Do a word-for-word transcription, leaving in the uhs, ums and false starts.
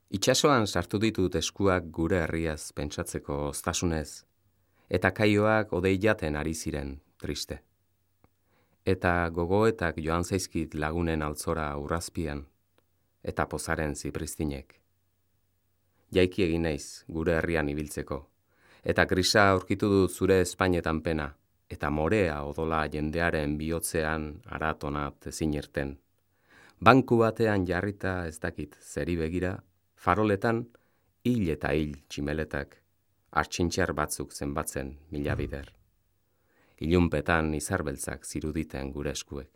Itsasoan sartu ditut eskuak gure herriaz pentsatzeko oztasunez, eta kaioak odei jaten ari ziren, triste. Eta gogoetak joan zaizkit lagunen altzora urrazpian, eta pozaren zipristinek. Jaiki egin naiz gure herrian ibiltzeko, eta grisa aurkitu dut zure Espainetan pena, eta morea odola jendearen bihotzean aratonat ezin irten. Banku batean jarrita ez dakit zeri begira, faroletan hil eta hil tximeletak, artxintxar batzuk zenbatzen mila bider. Ilunpetan izarbeltzak ziruditen gure eskuek.